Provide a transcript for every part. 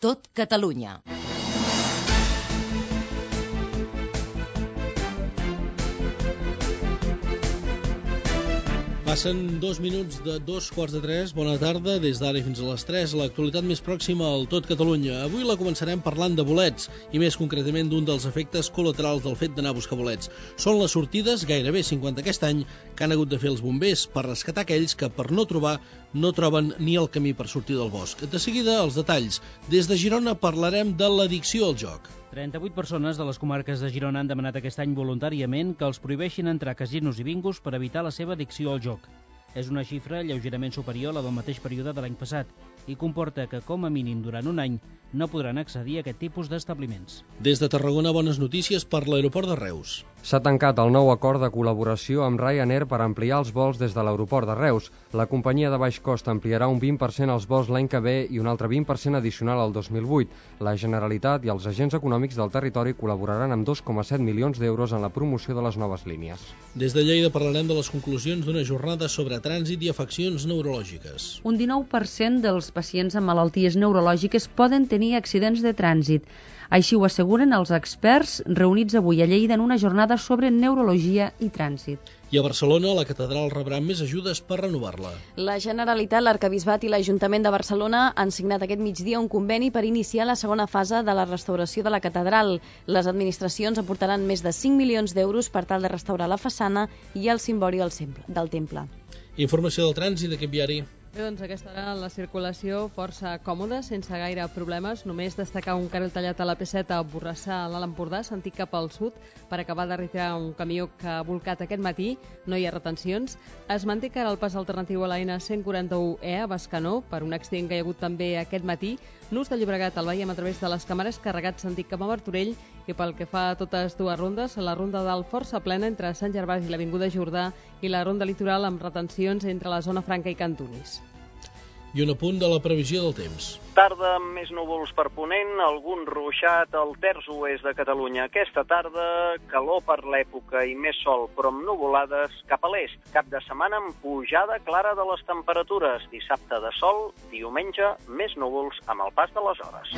tot Catalunya. Passen 2 minuts de 2:45. Bona tarda, des d'ara fins a les 3, l'actualitat més pròxima al tot Catalunya. Avui la començarem parlant de bolets, i més concretament d'un dels efectes col·laterals del fet d'anar a buscar bolets. Són les sortides, gairebé 50 aquest any, que han hagut de fer els bombers per rescatar aquells que, per no trobar, no troben ni el camí per sortir del bosc. De seguida, els detalls. Des de Girona parlarem de l'addicció al joc. 38 persones de les comarques de Girona han demanat aquest any voluntàriament que els prohibeixin entrar a casinos i bingos per evitar la seva addicció al joc. És una xifra lleugerament superior a la del mateix període de l'any passat i comporta que, com a mínim durant un any, no podran accedir a aquest tipus d'establiments. Des de Tarragona, bones notícies per l'aeroport de Reus. S'ha tancat el nou acord de col·laboració amb Ryanair per ampliar els vols des de l'aeroport de Reus. La companyia de baix cost ampliarà un 20% els vols l'any que ve i un altre 20% addicional al 2008. La Generalitat i els agents econòmics del territori col·laboraran amb 2,7 milions d'euros en la promoció de les noves línies. Des de Lleida parlarem de les conclusions d'una jornada sobre trànsit i afeccions neurològiques. Un 19% dels pacients amb malalties neurològiques poden tenir accidents de trànsit. Així ho asseguren els experts reunits avui a Lleida en una jornada sobre neurologia i trànsit. I a Barcelona, la catedral rebrà més ajudes per renovar-la. La Generalitat, l'Arquebisbat i l'Ajuntament de Barcelona han signat aquest migdia un conveni per iniciar la segona fase de la restauració de la catedral. Les administracions aportaran més de 5 milions d'euros per tal de restaurar la façana i el cimbori del temple. Informació del trànsit d'aquest viari. Bé, doncs aquesta hora la circulació força còmoda, sense gaire problemes. Només destacar un carril tallat a la P7 a Borrassà, a l'Alt Empordà, sentit cap al sud, per acabar de retirar un camió que ha volcat aquest matí. No hi ha retencions. Es manté que ara el pas alternatiu a la N141E a Bescanó, per un accident que hi ha hagut també aquest matí. Nus de Llobregat el veiem a través de les càmeres, carregat sentit cap a Martorell, i pel que fa a totes dues rondes, la ronda d'Alt força plena entre Sant Gervasi i l'Avinguda Jordà i la ronda litoral amb retencions entre la zona Franca i Cantunis. I un apunt de la previsió del temps. Tarda amb més núvols per ponent, algun ruixat al terç oest de Catalunya. Aquesta tarda, calor per l'època i més sol, però amb nuvolades cap a l'est. Cap de setmana amb pujada clara de les temperatures. Dissabte de sol, diumenge més núvols amb el pas de les hores.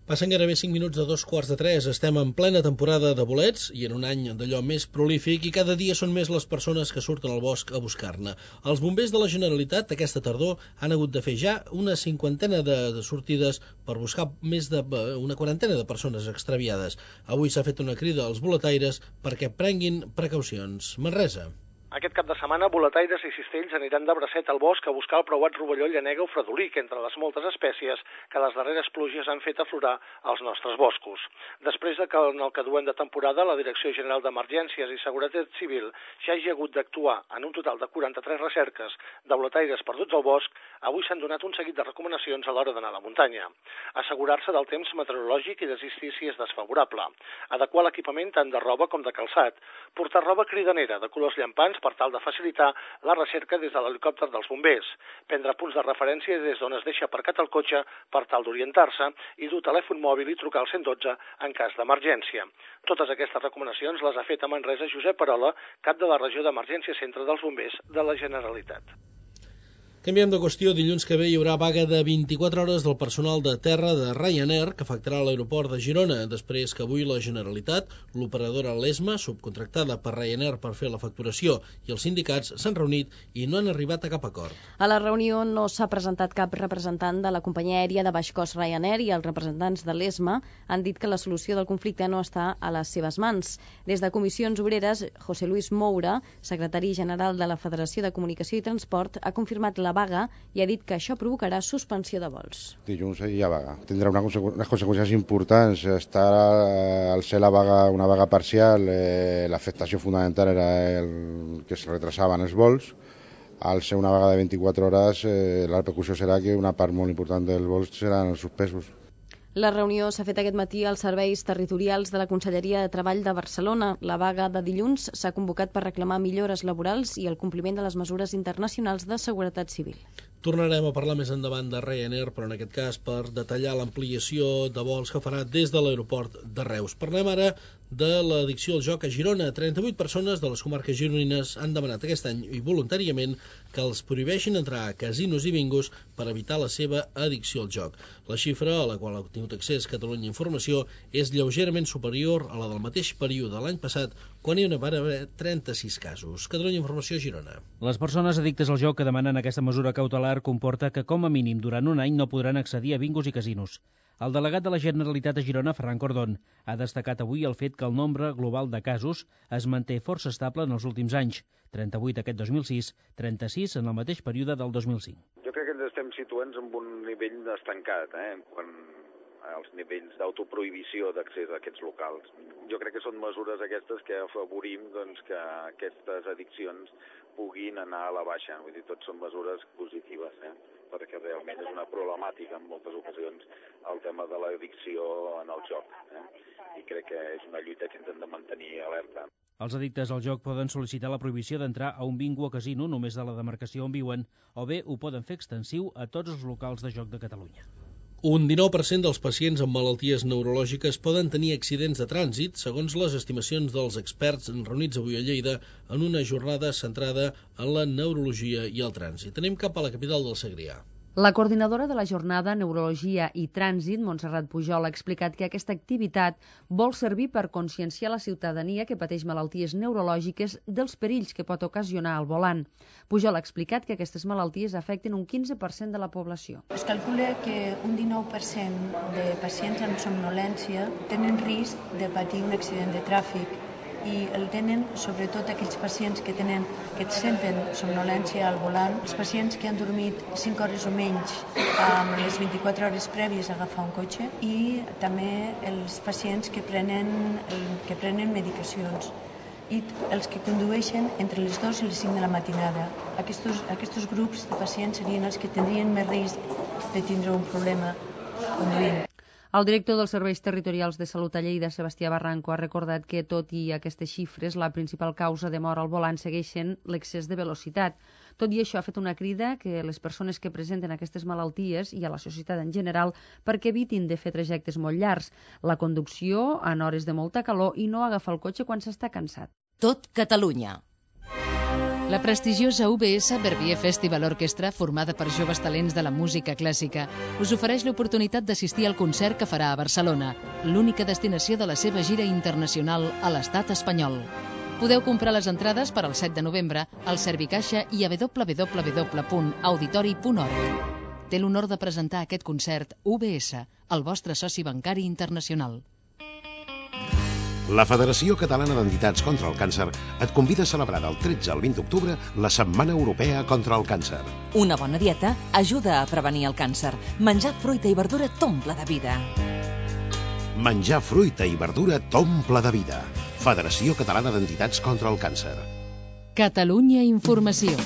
Passen gairebé 5 minuts de 2:45. Estem en plena temporada de bolets i en un any d'allò més prolífic i cada dia són més les persones que surten al bosc a buscar-ne. Els bombers de la Generalitat aquesta tardor han hagut de fer ja una cinquantena de sortides per buscar més una quarantena de persones extraviades. Avui s'ha fet una crida als boletaires perquè prenguin precaucions. Manresa. Aquest cap de setmana, boletaires i cistells aniran de bracet al bosc a buscar el preuat rovelló llanega o fredolic, entre les moltes espècies que les darreres pluges han fet aflorar als nostres boscos. Després de que en el que duem de temporada la Direcció General d'Emergències i Seguretat Civil ja hagi hagut d'actuar en un total de 43 recerques de boletaires perduts al bosc, avui s'han donat un seguit de recomanacions a l'hora d'anar a la muntanya. Assegurar-se del temps meteorològic i desistir si és desfavorable. Adequar l'equipament tant de roba com de calçat. Portar roba cridanera de colors llampants per tal de facilitar la recerca des de l'helicòpter dels bombers, prendre punts de referència des d'on es deixa aparcat el cotxe per tal d'orientar-se i dur telèfon mòbil i trucar al 112 en cas d'emergència. Totes aquestes recomanacions les ha fet a Manresa Josep Parola, cap de la regió d'emergència centre dels bombers de la Generalitat. Canviem de qüestió. Dilluns que ve hi haurà vaga de 24 hores del personal de terra de Ryanair que afectarà l'aeroport de Girona, després que avui la Generalitat, l'operadora Lesma, subcontractada per Ryanair per fer la facturació, i els sindicats s'han reunit i no han arribat a cap acord. A la reunió no s'ha presentat cap representant de la companyia aèria de baix cost Ryanair i els representants de l'Esma han dit que la solució del conflicte no està a les seves mans. Des de Comissions Obreres, José Luis Moura, secretari general de la Federació de Comunicació i Transport, ha confirmat la vaga i ha dit que això provocarà suspensió de vols. Dilluns hi ha vaga. Tindrà unes conseqüències importants. Està al ser una vaga parcial, l'afectació fundamental era que es retrasaven els vols. Al ser una vaga de 24 hores, la repercussió serà que una part molt important dels vols seran suspesos. La reunió s'ha fet aquest matí als serveis territorials de la Conselleria de Treball de Barcelona. La vaga de dilluns s'ha convocat per reclamar millores laborals i el compliment de les mesures internacionals de seguretat civil. Tornarem a parlar més endavant de Ryanair, però en aquest cas per detallar l'ampliació de vols que farà des de l'aeroport de Reus. Parlem ara de l'addicció al joc a Girona. 38 persones de les comarques gironines han demanat aquest any i voluntàriament que els prohibeixin entrar a casinos i bingos per evitar la seva addicció al joc. La xifra a la qual ha tingut accés Catalunya Informació és lleugerament superior a la del mateix període de l'any passat, quan hi van haver 36 casos. Catalunya Informació, Girona. Les persones addictes al joc que demanen aquesta mesura cautelar comporta que com a mínim durant un any no podran accedir a bingos i casinos. El delegat de la Generalitat a Girona, Ferran Cordón, ha destacat avui el fet que el nombre global de casos es manté força estable en els últims anys, 38 aquest 2006, 36 en el mateix període del 2005. Jo crec que ens estem situant en un nivell estancat, quan els nivells d'autoprohibició d'accés a aquests locals. Jo crec que són mesures aquestes que afavorim que aquestes addiccions puguin anar a la baixa. Vull dir, tot són mesures positives, perquè realment és una problemàtica en moltes ocasions el tema de l'addicció en el joc. I crec que és una lluita que ens hem de mantenir alerta. Els addictes al joc poden sol·licitar la prohibició d'entrar a un bingo o casino només de la demarcació on viuen, o bé ho poden fer extensiu a tots els locals de joc de Catalunya. Un 19% dels pacients amb malalties neurològiques poden tenir accidents de trànsit, segons les estimacions dels experts reunits avui a Lleida en una jornada centrada en la neurologia i el trànsit. Anem cap a la capital del Segrià. La coordinadora de la jornada Neurologia i Trànsit, Montserrat Pujol, ha explicat que aquesta activitat vol servir per conscienciar la ciutadania que pateix malalties neurològiques dels perills que pot ocasionar al volant. Pujol ha explicat que aquestes malalties afecten un 15% de la població. Es calcula que un 19% de pacients amb somnolència tenen risc de patir un accident de tràfic i el tenen sobretot aquells pacients que senten somnolència al volant, els pacients que han dormit 5 hores o menys amb les 24 hores prèvies a agafar un cotxe i també els pacients que prenen medicacions i els que condueixen entre les 2 i les 5 de la matinada. Aquests grups de pacients serien els que tindrien més risc de tindre un problema conduint. El director dels Serveis Territorials de Salut a Lleida, Sebastià Barranco, ha recordat que, tot i aquestes xifres, la principal causa de mort al volant segueixen l'excés de velocitat. Tot i això, ha fet una crida que les persones que presenten aquestes malalties i a la societat en general perquè evitin de fer trajectes molt llargs, la conducció en hores de molta calor i no agafar el cotxe quan s'està cansat. Tot Catalunya. La prestigiosa UBS Verbier Festival Orchestra, formada per joves talents de la música clàssica, us ofereix l'oportunitat d'assistir al concert que farà a Barcelona, l'única destinació de la seva gira internacional a l'estat espanyol. Podeu comprar les entrades per al 7 de novembre al Servicaixa i a www.auditori.org. Té l'honor de presentar aquest concert UBS, el vostre soci bancari internacional. La Federació Catalana d'Entitats contra el Càncer et convida a celebrar del 13 al 20 d'octubre la Setmana Europea contra el Càncer. Una bona dieta ajuda a prevenir el càncer. Menjar fruita i verdura t'omple de vida. Menjar fruita i verdura t'omple de vida. Federació Catalana d'Entitats contra el Càncer. Catalunya Informació.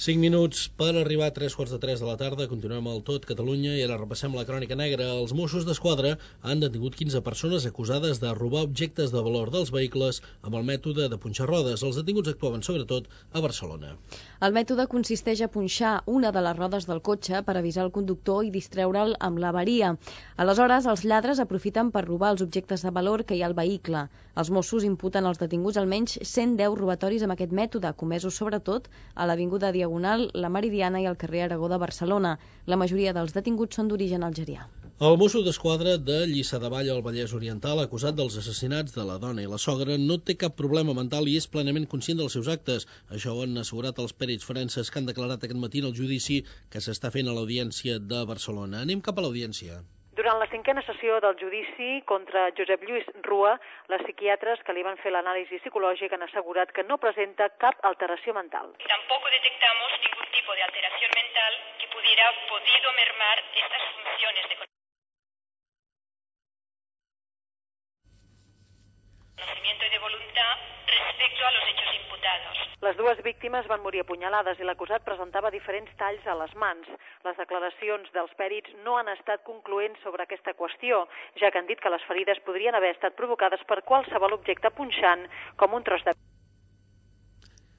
5 minuts per arribar a 3:45 de la tarda. Continuem al Tot Catalunya i ara repassem la crònica negra. Els Mossos d'Esquadra han detingut 15 persones acusades de robar objectes de valor dels vehicles amb el mètode de punxar rodes. Els detinguts actuaven sobretot a Barcelona. El mètode consisteix a punxar una de les rodes del cotxe per avisar el conductor i distreure'l amb l'avaria. Aleshores, els lladres aprofiten per robar els objectes de valor que hi ha al vehicle. Els Mossos imputen als detinguts almenys 110 robatoris amb aquest mètode, comesos sobretot a l'Avinguda Diagonal, la Meridiana i el carrer Aragó de Barcelona. La majoria dels detinguts són d'origen algerià. El Mosso d'Esquadra de Lliçà de Vall al Vallès Oriental, acusat dels assassinats de la dona i la sogra, no té cap problema mental i és plenament conscient dels seus actes. Això ho han assegurat els pèrits forenses que han declarat aquest matí en el judici que s'està fent a l'Audiència de Barcelona. Anem cap a l'Audiència. Durant la 5a sessió del judici contra Josep Lluís Rua, les psiquiatres que li van fer l'anàlisi psicològic han assegurat que no presenta cap alteració mental. Tampoco detectamos ningún tipo de alteración mental que pudiera podido mermar estas funciones de conocimiento y de voluntad respecto a los hechos imputados. Les dues víctimes van morir apunyalades i l'acusat presentava diferents talls a les mans. Les declaracions dels pèrits no han estat concloents sobre aquesta qüestió, ja que han dit que les ferides podrien haver estat provocades per qualsevol objecte punxant, com un tros de...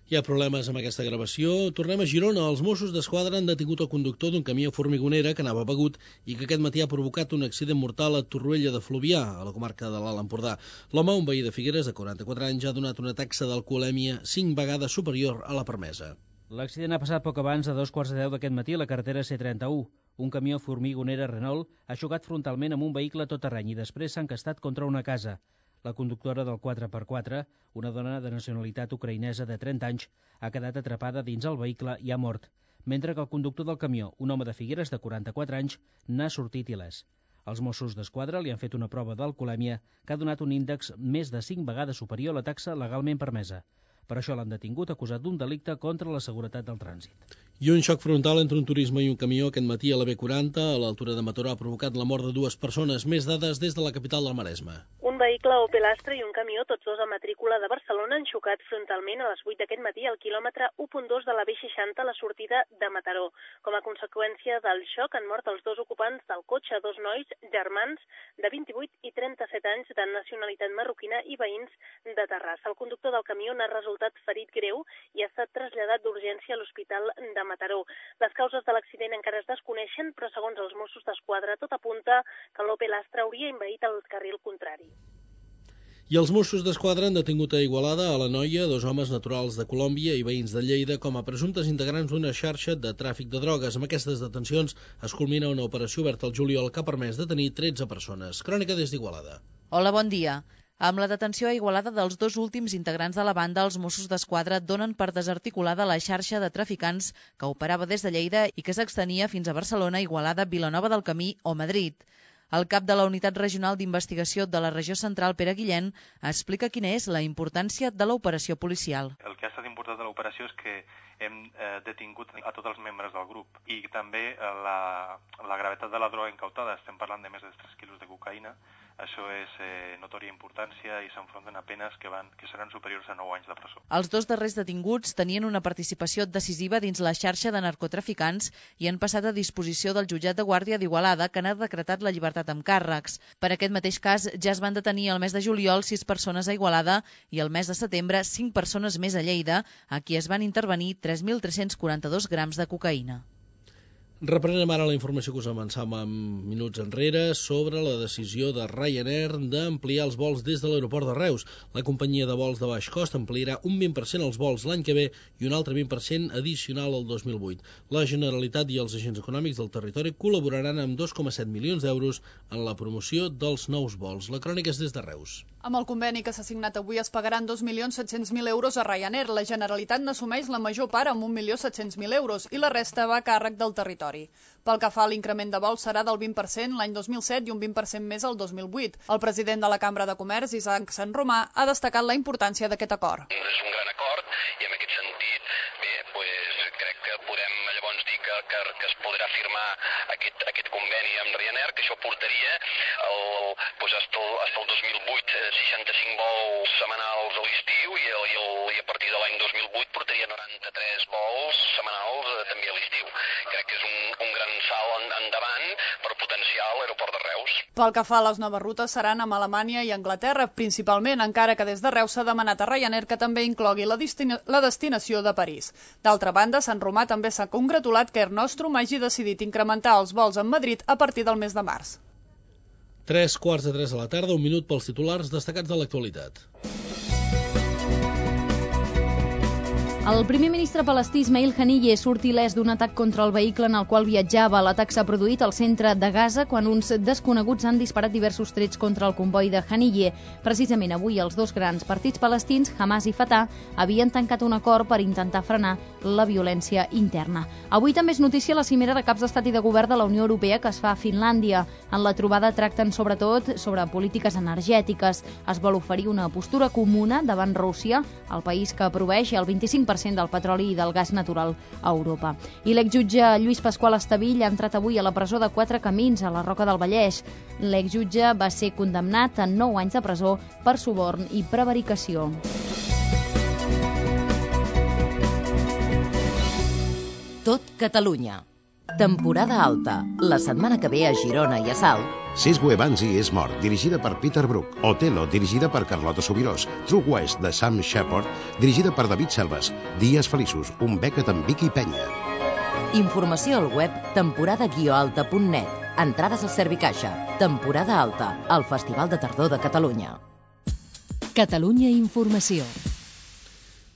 Hi ha problemes amb aquesta gravació. Tornem a Girona. Els Mossos d'Esquadra han detingut el conductor d'un camió formigonera que anava begut i que aquest matí ha provocat un accident mortal a Torroella de Fluvià, a la comarca de l'Alt Empordà. L'home, un veí de Figueres de 44 anys, ha donat una taxa d'alcoholèmia 5 vegades superior a la permesa. L'accident ha passat poc abans de 2:15 d'aquest matí a la carretera C31. Un camió formigonera Renault ha xocat frontalment amb un vehicle tot terreny i després s'ha encastat contra una casa. La conductora del 4x4, una dona de nacionalitat ucraïnesa de 30 anys, ha quedat atrapada dins el vehicle i ha mort, mentre que el conductor del camió, un home de Figueres de 44 anys, n'ha sortit il·lès. Els Mossos d'Esquadra li han fet una prova d'alcoholèmia que ha donat un índex més de 5 vegades superior a la taxa legalment permesa. Per això l'han detingut acusat d'un delicte contra la seguretat del trànsit. I un xoc frontal entre un turisme i un camió aquest matí a la B40, a l'altura de Mataró, ha provocat la mort de 2 persones. Més dades des de la capital del Maresme. Un vehicle Opel Astra i un camió, tots dos a matrícula de Barcelona, han xocat frontalment a les 8 d'aquest matí al quilòmetre 1.2 de la B60 a la sortida de Mataró. Com a conseqüència del xoc han mort els dos ocupants del cotxe, dos nois germans de 28 i 37 anys de nacionalitat marroquina i veïns de Terrassa. El conductor del camió n'ha resultat ferit greu i ha estat traslladat d'urgència a l'Hospital de Mataró. Les causes de l'accident encara es desconeixen, però segons els Mossos d'Esquadra tot apunta que l'Opel Astra hauria envaït el carril contrari. I els Mossos d'Esquadra han detingut a Igualada a la Noia 2 homes naturals de Colòmbia i veïns de Lleida com a presumptes integrants d'una xarxa de tràfic de drogues. Amb aquestes detencions es culmina una operació oberta al juliol que ha permès detenir 13 persones. Crònica des d'Igualada. Hola, bon dia. Amb la detenció a Igualada dels dos últims integrants de la banda, els Mossos d'Esquadra donen per desarticulada la xarxa de traficants que operava des de Lleida i que s'extenia fins a Barcelona, Igualada, Vilanova del Camí o Madrid. El cap de la Unitat Regional d'Investigació de la Regió Central, Pere Guillén, explica quina és la importància de l'operació policial. El que ha estat important de l'operació és que hem detingut a tots els membres del grup i també la gravetat de la droga incautada. Estem parlant de més de 3 quilos de cocaïna. Això és notòria importància i s'enfronten a penes que seran superiors a 9 anys de presó. Els dos darrers detinguts tenien una participació decisiva dins la xarxa de narcotraficants i han passat a disposició del jutjat de guàrdia d'Igualada, que n'ha decretat la llibertat amb càrrecs. Per aquest mateix cas ja es van detenir el mes de juliol 6 persones a Igualada i el mes de setembre 5 persones més a Lleida, a qui es van intervenir 3.342 grams de cocaïna. Reprenem ara la informació que us avançàvem minuts enrere sobre la decisió de Ryanair d'ampliar els vols des de l'aeroport de Reus. La companyia de vols de baix cost ampliarà un 20% els vols l'any que ve i un altre 20% addicional al 2008. La Generalitat i els agents econòmics del territori col·laboraran amb 2,7 milions d'euros en la promoció dels nous vols. La crònica és des de Reus. Amb el conveni que s'ha signat avui es pagaran 2.700.000 euros a Ryanair. La Generalitat n'assumeix la major part amb 1.700.000 euros i la resta va a càrrec del territori. Pel que fa a l'increment de vols serà del 20% l'any 2007 i un 20% més el 2008. El president de la Cambra de Comerç, Isaac Sant Romà, ha destacat la importància d'aquest acord. És un gran acord i en aquest sentit, crec que podem llavors dir que es podrà firmar aquest conveni amb Ryanair, que això portaria fins al 2008 65 vols setmanals a l'estiu i a partir de l'any 2008 portaria 93 vols setmanals també a l'estiu. Crec que és un gran salt endavant per potenciar l'aeroport de Reus. Pel que fa a les noves rutes seran amb Alemanya i Anglaterra, principalment, encara que des de Reus s'ha demanat a Ryanair que també inclogui la destinació de París. D'altra banda, Sant Romà també s'ha congratulat que Air Nostrum hagi decidit incrementar els vols amb Madrid a partir del mes de març. 3:45 de la tarda, un minut pels titulars destacats de l'actualitat. El primer ministre palestí Ismail Haniyeh surt il·lès d'un atac contra el vehicle en el qual viatjava. L'atac s'ha produït al centre de Gaza quan uns desconeguts han disparat diversos trets contra el comboi de Haniyeh. Precisament avui els dos grans partits palestins, Hamas i Fatah, havien tancat un acord per intentar frenar la violència interna. Avui també és notícia la cimera de caps d'estat i de govern de la Unió Europea que es fa a Finlàndia. En la trobada tracten sobretot sobre polítiques energètiques. Es vol oferir una postura comuna davant Rússia, el país que proveeix el 25% del petroli i del gas natural a Europa. I l'exjutge Lluís Pasqual Estavill ha entrat avui a la presó de Quatre Camins, a la Roca del Vallès. L'exjutge va ser condemnat a 9 anys de presó per suborn i prevaricació. Tot Catalunya. Temporada alta. La setmana que ve a Girona i a Salt. Sesgue Banzi és mort, dirigida per Peter Brook. Otelo, dirigida per Carlota Subirós. True West, de Sam Shepard, dirigida per David Selves. Dies feliços, un Beckett amb Vicky Penya. Informació al web temporada-alta.net. Entrades al Servicaixa. Temporada alta, el Festival de Tardor de Catalunya. Catalunya Informació.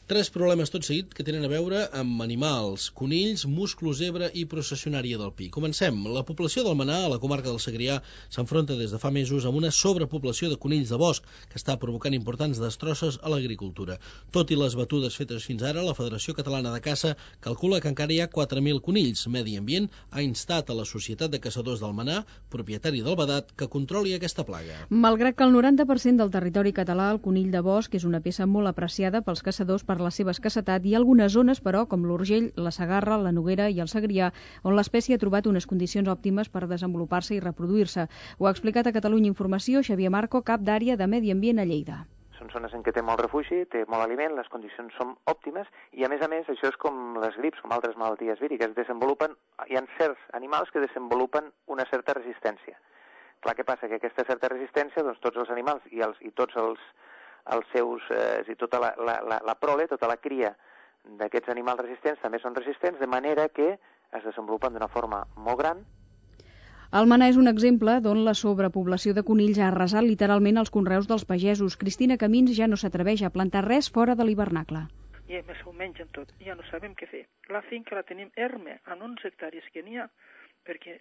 3 problemes tot seguit que tenen a veure amb animals, conills, musclo zebra i processionària del pi. Comencem. La població del Menar, a la comarca del Segrià, s'enfronta des de fa mesos amb una sobrepoblació de conills de bosc que està provocant importants destrosses a l'agricultura. Tot i les batudes fetes fins ara, la Federació Catalana de Caça calcula que encara hi ha 4.000 conills. Medi Ambient ha instat a la Societat de Caçadors del Menar, propietari del vedat, que controli aquesta plaga. Malgrat que el 90% del territori català, el conill de bosc és una peça molt apreciada pels caçadors per la seva escassetat, hi ha algunes zones, però, com l'Urgell, la Segarra, la Noguera i el Segrià, on l'espècie ha trobat unes condicions òptimes per desenvolupar-se i reproduir-se. Ho ha explicat a Catalunya Informació Xavier Marco, cap d'àrea de Medi Ambient a Lleida. Són zones en què té molt refugi, té molt aliment, les condicions són òptimes i, a més, això és com les grips, com altres malalties víriques. Hi ha certs animals que desenvolupen una certa resistència. Clar, què passa? Que aquesta certa resistència, doncs tots els animals i tots els seus, i tota la prole, tota la cria d'aquests animals resistents també són resistents, de manera que es desenvolupen d'una forma molt gran. El Menar és un exemple d'on la sobrepoblació de conills ha arrasat literalment els conreus dels pagesos. Cristina Camins ja no s'atreveix a plantar res fora de l'hivernacle. I a més ho mengen tot, ja no sabem què fer. La finca la tenim erme, en 11 hectàrees que n'hi ha, perquè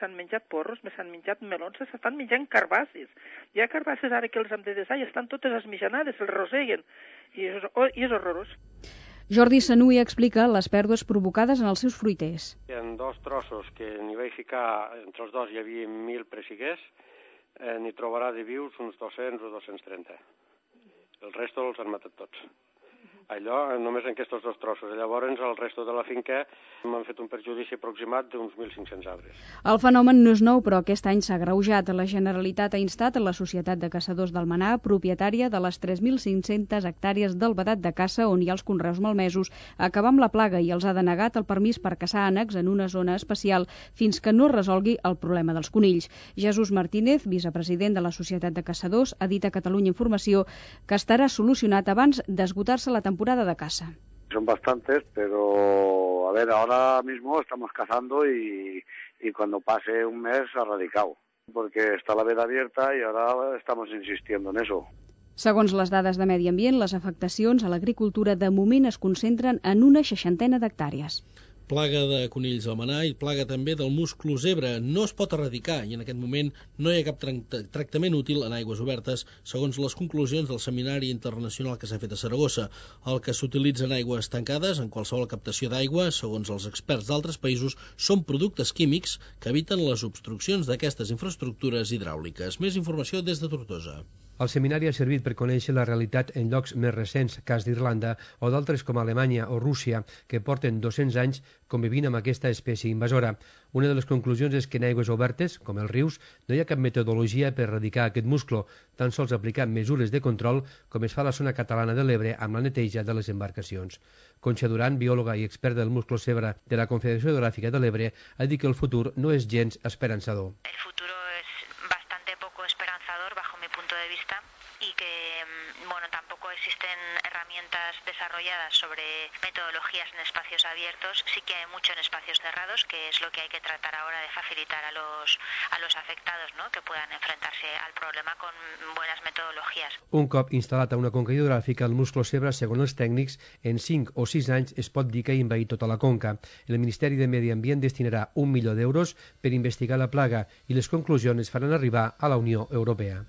s'han menjat porros, s'han menjat melons, s'estan menjant carbasses. Hi ha carbasses ara que els hem de desar i estan totes esmijanades, els roseguen, i és horrorós. Jordi Sanuy explica les pèrdues provocades en els seus fruiters. Hi ha 2 trossos que n'hi vaig ficar, entre els 2 hi havia 1.000 pressiguers, n'hi trobarà de vius uns 200 o 230. El resto els han matat tots. Allò només en aquests 2 trossos. Llavors, el resto de la finca m'han fet un perjudici aproximat d'uns 1.500 arbres. El fenomen no és nou, però aquest any s'ha agreujat. La Generalitat ha instat a la Societat de Caçadors del Menar, propietària de les 3.500 hectàrees del vedat de caça on hi ha els conreus malmesos, a acabar amb la plaga i els ha denegat el permís per caçar ànecs en una zona especial fins que no resolgui el problema dels conills. Jesús Martínez, vicepresident de la Societat de Caçadors, ha dit a Catalunya Informació que estarà solucionat abans d'esgotar-se la temporada de caza. Son bastantes, pero a ver, ahora mismo estamos cazando y cuando pase un mes erradicado, porque está la veda abierta y ahora estamos insistiendo en eso. Segons les dades de Medi Ambient, les afectacions a l'agricultura de moment es concentren en una 60 d'hectàrees. Plaga de conills al Menar i plaga també del musclo zebra. No es pot erradicar i en aquest moment no hi ha cap tractament útil en aigües obertes, segons les conclusions del Seminari Internacional que s'ha fet a Saragossa. El que s'utilitza en aigües tancades, en qualsevol captació d'aigua, segons els experts d'altres països, són productes químics que eviten les obstruccions d'aquestes infraestructures hidràuliques. Més informació des de Tortosa. El seminari ha servit per conèixer la realitat en llocs més recents, cas d'Irlanda, o d'altres com Alemanya o Rússia, que porten 200 anys convivint amb aquesta espècie invasora. Una de les conclusions és que en aigües obertes, com els rius, no hi ha cap metodologia per erradicar aquest musclo, tan sols aplicar mesures de control, com es fa a la zona catalana de l'Ebre amb la neteja de les embarcacions. Concha Duran, biòloga i experta del musclo zebra de la Confederació Hidrogràfica de l'Ebre, ha dit que el futur no és gens esperançador. El futuro es bastante poco esperanzador bajo mi punto de vista y que tampoco existen herramientas desarrolladas sobre metodologías en espacios abiertos. Sí que hay mucho en espacios cerrados, que es lo que hay que tratar ahora de facilitar a los afectados, ¿no?, que puedan enfrentarse al problema con buenas metodologías. Un cop instal·lat a una conca hidrogràfica, el musclo zebra, segons els tècnics, en 5 o 6 anys es pot dir que ha envaït tota la conca. El Ministeri de Medi Ambient destinarà 1 milió d'euros per investigar la plaga i les conclusions es faran arribar a la Unió Europea.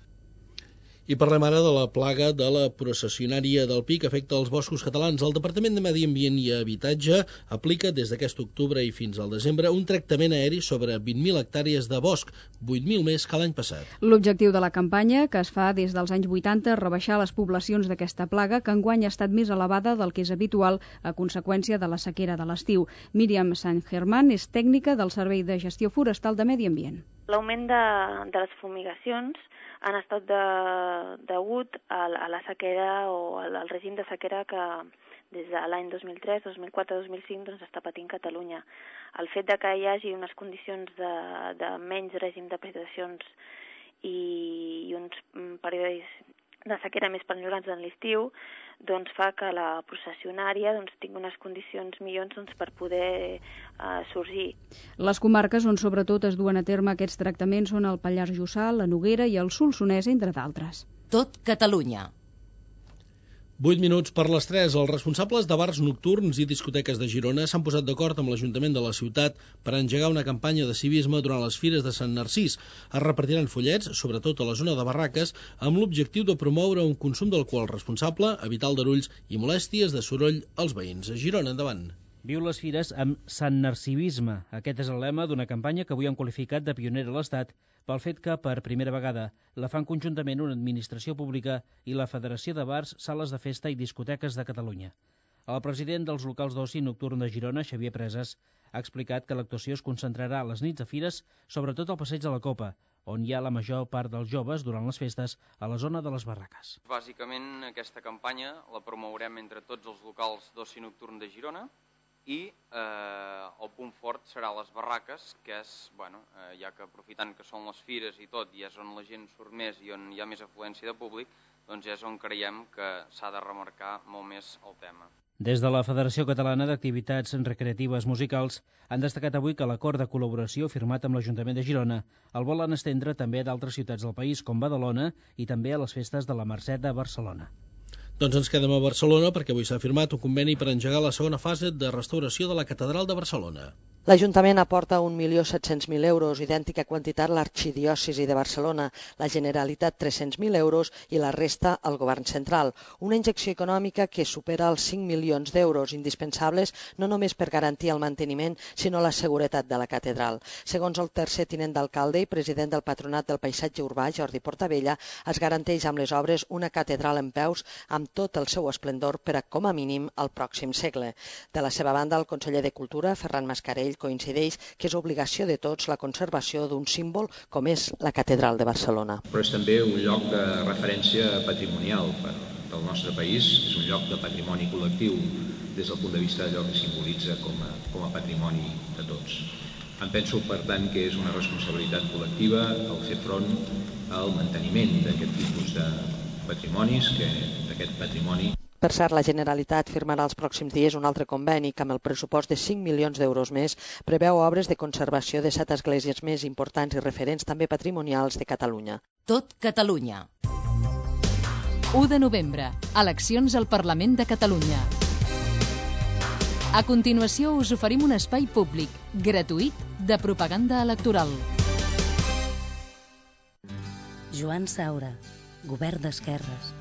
I parlem ara de la plaga de la processionària del pi que afecta els boscos catalans. El Departament de Medi Ambient i Habitatge aplica des d'aquest octubre i fins al desembre un tractament aeri sobre 20.000 hectàrees de bosc, 8.000 més que l'any passat. L'objectiu de la campanya, que es fa des dels anys 80, és rebaixar les poblacions d'aquesta plaga, que enguany ha estat més elevada del que és habitual a conseqüència de la sequera de l'estiu. Míriam San Germán és tècnica del Servei de Gestió Forestal de Medi Ambient. L'augment de les fumigacions han estat degut a la sequera o al règim de sequera que des de l'any 2003, 2004, 2005 doncs està patint Catalunya. El fet de que hi hagi unes condicions de menys règim de precipitacions i uns períodes de sequera més prolongats en l'estiu, doncs fa que la processionària tingui unes condicions millors per poder sorgir. Les comarques on sobretot es duen a terme aquests tractaments són el Pallars Jussà, la Noguera i el Solsonès, entre d'altres. Tot Catalunya. 8 minuts per les 3. Els responsables de bars nocturns i discoteques de Girona s'han posat d'acord amb l'Ajuntament de la ciutat per engegar una campanya de civisme durant les fires de Sant Narcís. Es repartiran fullets, sobretot a la zona de barraques, amb l'objectiu de promoure un consum d'alcohol responsable, evitar aldarulls i molèsties de soroll als veïns. A Girona, endavant. Viu les fires amb Sant Narcivisme. Aquest és el lema d'una campanya que avui han qualificat de pionera a l'Estat pel fet que, per primera vegada, la fan conjuntament una administració pública i la Federació de Bars, Sales de Festa i Discoteques de Catalunya. El president dels locals d'oci nocturn de Girona, Xavier Presas, ha explicat que l'actuació es concentrarà a les nits de fires, sobretot al Passeig de la Copa, on hi ha la major part dels joves durant les festes a la zona de les barraques. Bàsicament, aquesta campanya la promourem entre tots els locals d'oci nocturn de Girona i el punt fort serà les barraques, que és, ja que aprofitant que són les fires i tot, i és on la gent surt més i on hi ha més afluència de públic, doncs és on creiem que s'ha de remarcar molt més el tema. Des de la Federació Catalana d'Activitats Recreatives Musicals han destacat avui que l'acord de col·laboració firmat amb l'Ajuntament de Girona el volen estendre també a d'altres ciutats del país, com Badalona, i també a les festes de la Mercè de Barcelona. Doncs ens quedem a Barcelona perquè avui s'ha firmat un conveni per engegar la segona fase de restauració de la Catedral de Barcelona. L'Ajuntament aporta 1.700.000 euros, idèntica quantitat l'Arxidiòcesi de Barcelona, la Generalitat 300.000 euros i la resta al Govern central. Una injecció econòmica que supera els 5 milions d'euros, indispensables no només per garantir el manteniment, sinó la seguretat de la catedral. Segons el tercer tinent d'alcalde i president del Patronat del Paisatge Urbà, Jordi Portabella, es garanteix amb les obres una catedral en peus amb tot el seu esplendor per a, com a mínim, el pròxim segle. De la seva banda, el conseller de Cultura, Ferran Mascarell, coincideix que és obligació de tots la conservació d'un símbol com és la Catedral de Barcelona. Però és també un lloc de referència patrimonial del nostre país, és un lloc de patrimoni col·lectiu des del punt de vista d'allò que simbolitza com a patrimoni de tots. Em penso, per tant, que és una responsabilitat col·lectiva el fer front al manteniment d'aquest tipus de patrimonis, d'aquest patrimoni. Per cert, la Generalitat firmarà els pròxims dies un altre conveni que amb el pressupost de 5 milions d'euros més preveu obres de conservació de 7 esglésies més importants i referents també patrimonials de Catalunya. Tot Catalunya. 1 de novembre. Eleccions al Parlament de Catalunya. A continuació us oferim un espai públic, gratuït, de propaganda electoral. Joan Saura, Govern d'Esquerres.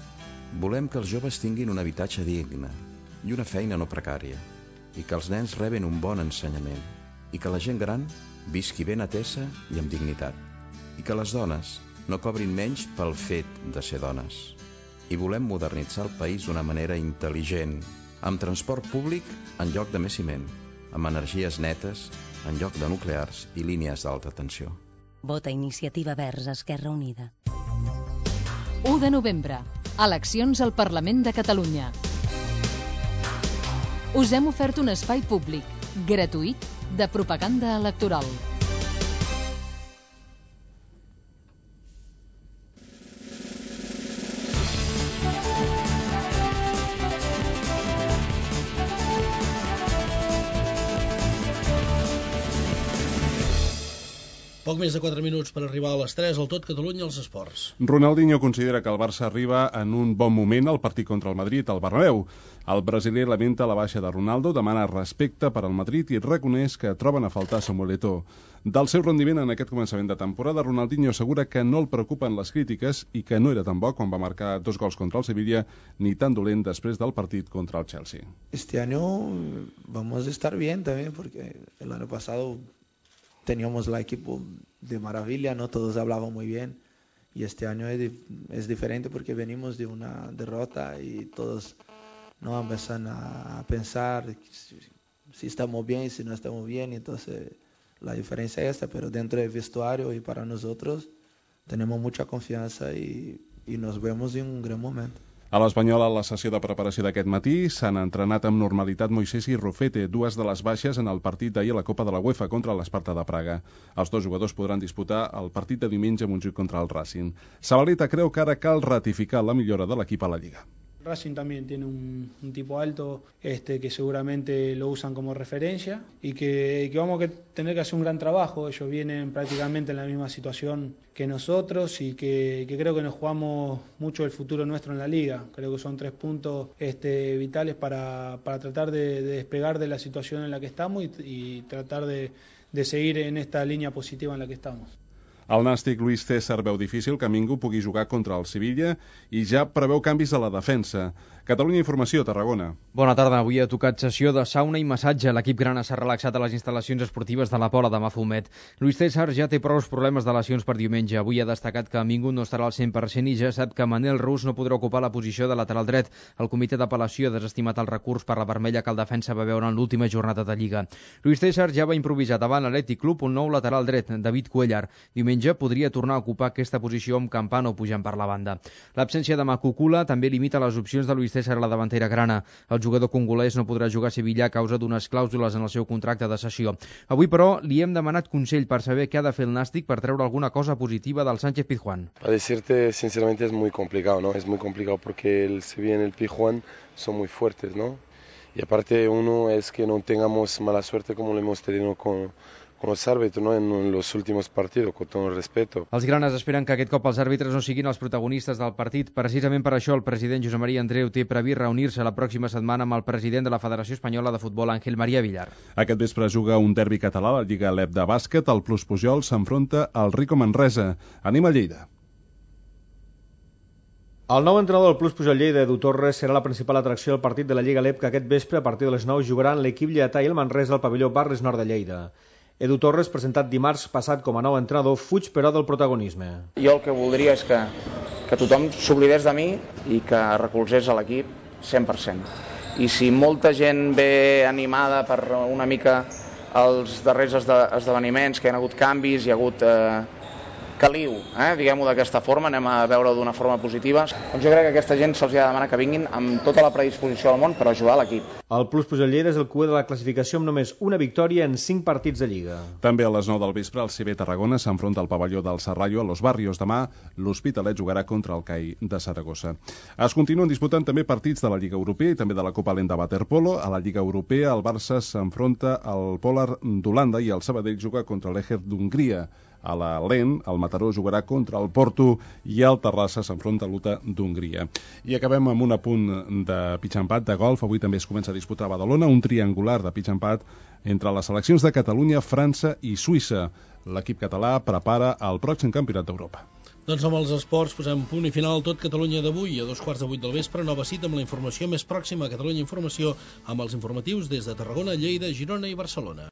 Volem que els joves tinguin un habitatge digne i una feina no precària, i que els nens reben un bon ensenyament, i que la gent gran visqui ben atesa i amb dignitat, i que les dones no cobrin menys pel fet de ser dones. I volem modernitzar el país d'una manera intel·ligent, amb transport públic en lloc de més ciment, amb energies netes en lloc de nuclears i línies d'alta tensió. Vota Iniciativa Verds Esquerra Unida. 1 de novembre. Eleccions al Parlament de Catalunya. Us hem ofert un espai públic, gratuït, de propaganda electoral. Poc més de 4 minuts per arribar a les 3 al Tot Catalunya als esports. Ronaldinho considera que el Barça arriba en un bon moment al partit contra el Madrid al Bernabéu. El brasiler lamenta la baixa de Ronaldo, demana respecte per al Madrid i reconeix que troben a faltar Samuel Eto'o. Del seu rendiment en aquest començament de temporada, Ronaldinho assegura que no el preocupen les crítiques i que no era tan bo quan va marcar 2 gols contra el Sevilla ni tan dolent després del partit contra el Chelsea. Este año vamos a estar bien también porque el año pasado teníamos el equipo de maravilla, no todos hablaban muy bien y este año es diferente porque venimos de una derrota y todos no empiezan a pensar si estamos bien, si no estamos bien, entonces la diferencia es esta, pero dentro del vestuario y para nosotros tenemos mucha confianza y nos vemos en un gran momento. A l'Espanyol, a la sessió de preparació d'aquest matí, s'han entrenat amb normalitat Moisés i Rufete, dues de les baixes en el partit d'ahir a la Copa de la UEFA contra l'Esparta de Praga. Els dos jugadors podran disputar el partit de diumenge a Montjuïc contra el Racing. Zabaleta creu que ara cal ratificar la millora de l'equip a la Lliga. Racing también tiene un tipo alto que seguramente lo usan como referencia y que vamos a tener que hacer un gran trabajo. Ellos vienen prácticamente en la misma situación que nosotros y que creo que nos jugamos mucho el futuro nuestro en la liga. Creo que son 3 puntos vitales para tratar de despegar de la situación en la que estamos y tratar de seguir en esta línea positiva en la que estamos. El nàstic Luis César veu difícil que Mingo pugui jugar contra el Sevilla i ja preveu canvis a la defensa. Catalunya Informació, Tarragona. Bona tarda. Avui ha tocat sessió de sauna i massatge. L'equip grana s'ha relaxat a les instal·lacions esportives de la Pola de Mafumet. Luis César ja té prou problemes de lesions per diumenge. Avui ha destacat que Mingo no estarà al 100% i ja sap que Manel Rus no podrà ocupar la posició de lateral dret. El comitè d'apel·lació ha desestimat el recurs per la vermella que el defensa va veure en l'última jornada de Lliga. Luis César ja va improvisar davant l'Atlètic Club un nou lateral dret, David Cuellar. Diumenge podria tornar a ocupar aquesta posició amb Campano pujant per la banda. L'absència de Makukula també limita les opcions de Luis César a la davantera grana. El jugador congolès no podrà jugar a Sevilla a causa d'unes clàusules en el seu contracte de cessió. Avui, però, li hem demanat consell per saber què ha de fer el nàstic per treure alguna cosa positiva del Sánchez Pizjuán. A decirte, sinceramente, es muy complicado, ¿no? Es muy complicado porque el Sevilla y el Pizjuán son muy fuertes, ¿no? Y aparte, uno es que no tengamos mala suerte como lo hemos tenido con els àrbitres, ¿no? En los últimos partidos, con todo el respeto. Els granes esperen que aquest cop els àrbitres no siguin els protagonistes del partit. Precisament per això el president Josep Maria Andreu té previst reunir-se la pròxima setmana amb el president de la Federació Espanyola de Futbol, Ángel María Villar. Aquest vespre juga un derbi català a la Lliga LEP de bàsquet. El Plus Pujol s'enfronta al Rico Manresa. Anem a Lleida. El nou entrenador del Plus Pujol Lleida, Edu Torres, serà la principal atracció del partit de la Lliga LEP que aquest vespre a partir de les 9 jugaran l'equip lleidatà i el Manresa al pavelló Barris Nord de Lleida. Edu Torres, presentat dimarts passat com a nou entrenador, fuig però del protagonisme. Jo el que voldria és que tothom s'oblidés de mi i que recolzés a l'equip 100%. I si molta gent ve animada per una mica els darrers esdeveniments, que hi ha hagut canvis, hi ha hagut caliu, diguem-ho d'aquesta forma, anem a veure-ho d'una forma positiva. Doncs jo crec que a aquesta gent se'ls ha de demanar que vinguin amb tota la predisposició del món per ajudar l'equip. El Plus Pujol Lleida és el cuer de la classificació amb només una victòria en 5 partits de Lliga. També a les 9 del vespre el CB Tarragona s'enfronta al pavelló del Serrallo a Los Barrios. Demà l'Hospitalet jugarà contra el CAI de Saragossa. Es continuen disputant també partits de la Lliga Europea i també de la Copa Lent de Waterpolo. A la Lliga Europea el Barça s'enfronta al Polar d'Holanda i el Sabadell juga contra l'Eger d'Hongria. A la Lent, el Mataró jugarà contra el Porto i el Terrassa s'enfronta a l'Uta d'Hongria. I acabem amb un apunt de pitch and pad de golf. Avui també es comença a disputar a Badalona un triangular de pitch and pad entre les seleccions de Catalunya, França i Suïssa. L'equip català prepara el pròxim campionat d'Europa. Doncs amb els esports posem punt i final al Tot Catalunya d'avui. A 2:15 del vespre, nova cita amb la informació més pròxima a Catalunya Informació amb els informatius des de Tarragona, Lleida, Girona i Barcelona.